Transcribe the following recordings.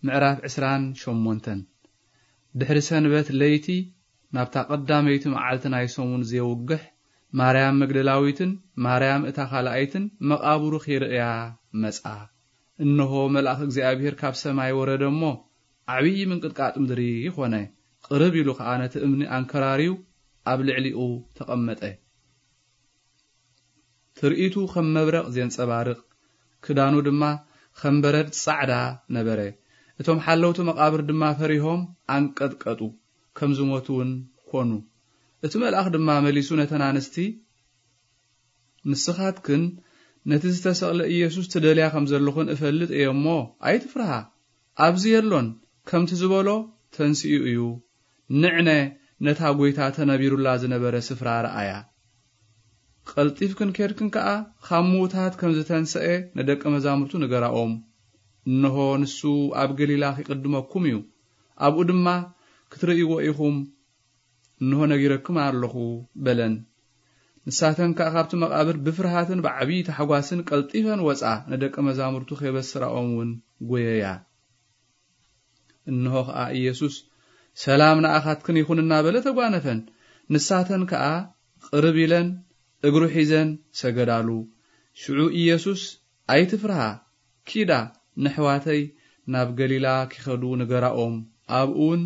ምዕራፍ ዕስራን ሸሞንተን። ድሕሪ ሰንበት ለይቲ ናብታ ቀዳመይቲ መዓልቲ ናይ ሰሙን ዘየውግሕ ማርያም መግደላዊትን ማርያም እታ ካልኣይትን መቓብሩ ኺርእያ መጻ። እንሆ መልኣኽ እግዚኣብሔር ካብ ሰማይ ወረደ እሞ ዓብዪ ምንቅጥቃጥ ምድሪ ኾነ። ቅርብ ኢሉ ኸኣ ነቲ እምኒ ኣንከራርዩ ኣብ ልዕሊኡ ተቐመጠ። ትርኢቱ ከም መብረቕ ዜንጸባርቕ፣ ክዳኑ ድማ ከም በረድ ጻዕዳ ነበረ። እቶም ሓለውቲ መቓብር ድማ ፈሪሆም ኣንቀጥቀጡ፣ ከም ዝሞቱ እውን ኮኑ። እቲ መልኣኽ ድማ መሊሱ ነተን ኣንስቲ፣ "ንስኻትክን ነቲ ዝተሰቕለ ኢየሱስ ትደልያ ከም ዘለኹን እፈልጥ እየ እሞ፣ ኣይትፍርሃ። ኣብዚ የሎን፣ ከምቲ ዝበሎ ተንሲኡ እዩ። ንዕነ ነታ ጐይታ ተነቢሩላ ዝነበረ ስፍራ ረኣያ። ቀልጢፍክን ኬድክን ከኣ፣ ካብ ምዉታት ከም ዝተንሰኤ ንደቀ መዛሙርቱ ንገራኦም። እንሆ ንሱ ኣብ ገሊላ ኺቕድመኩም እዩ፣ ኣብኡ ድማ ክትርእይዎ ኢኹም፣ እንሆ ነጊረኩም ኣለኹ" በለን። ንሳተን ከኣ ካብቲ መቓብር ብፍርሃትን ብዓብዪ ታሕጓስን ቀልጢፈን ወጻ፣ ንደቀ መዛሙርቱ ኼበስራኦም እውን ጐየያ። እንሆ ኸኣ ኢየሱስ፣ "ሰላም ንኣኻትክን ይኹን" እናበለ ተጓነፈን። ንሳተን ከኣ ቅርብ ኢለን እግሩ ሒዘን ሰገዳሉ። ሽዑ ኢየሱስ፣ "ኣይትፍርሃ፣ ኪዳ፣ ነሕዋተይ ናብ ገሊላ ኪኸዱ ንገራኦም፣ ኣብኡ እውን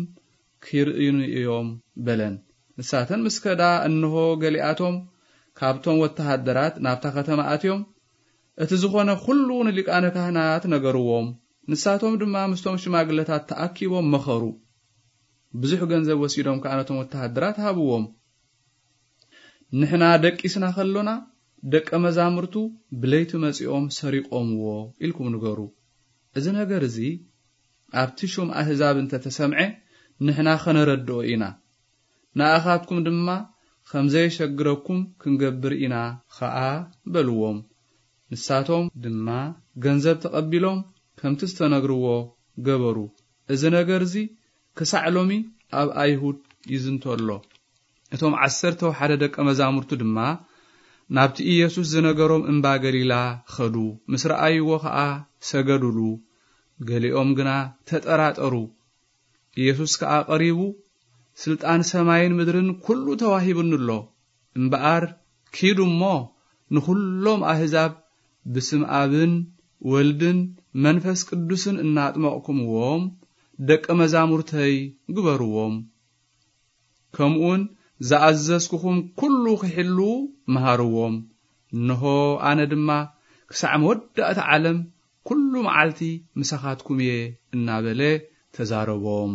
ኪርእዩኒ እዮም" በለን። ንሳተን ምስ ከዳ፣ እንሆ ገሊኣቶም ካብቶም ወተሃደራት ናብታ ከተማ ኣትዮም፣ እቲ ዝኾነ ኹሉ ንሊቃነ ካህናት ነገርዎም። ንሳቶም ድማ ምስቶም ሽማግለታት ተኣኪቦም መኸሩ። ብዙሕ ገንዘብ ወሲዶም ከኣ ነቶም ወተሃደራት ሃብዎም። "ንሕና ደቂስና ከሎና፣ ደቀ መዛሙርቱ ብለይቲ መጺኦም ሰሪቖምዎ" ኢልኩም ንገሩ። እዚ ነገር እዚ ኣብቲ ሹም ኣህዛብ እንተ ተሰምዐ፣ ንሕና ኸነረድኦ ኢና። ንኣኻትኩም ድማ ከም ዘየሸግረኩም ክንገብር ኢና ኸኣ በልዎም። ንሳቶም ድማ ገንዘብ ተቐቢሎም ከምቲ ዝተነግርዎ ገበሩ። እዚ ነገር እዚ ክሳዕ ሎሚ ኣብ ኣይሁድ ይዝንቶ ኣሎ። እቶም ዓሰርተ ሓደ ደቀ መዛሙርቱ ድማ ናብቲ ኢየሱስ ዝነገሮም እምባ ገሊላ ኸዱ። ምስ ረኣይዎ ኸኣ ሰገዱሉ። ገሊኦም ግና ተጠራጠሩ። ኢየሱስ ከኣ ቀሪቡ፣ "ስልጣን ሰማይን ምድርን ኩሉ ተዋሂቡኒ ኣሎ። እምበኣር ኪዱ እሞ ንኹሎም ኣህዛብ ብስም ኣብን ወልድን መንፈስ ቅዱስን እናጥመቕኩምዎም ደቀ መዛሙርተይ ግበርዎም። ከምኡውን ዝኣዘዝኩኹም ኩሉ ኺሕልዉ መሃርዎም። እንሆ ኣነ ድማ ክሳዕ መወዳእታ ዓለም ኩሉ መዓልቲ ምሳኻትኩም እየ" እናበለ ተዛረቦም።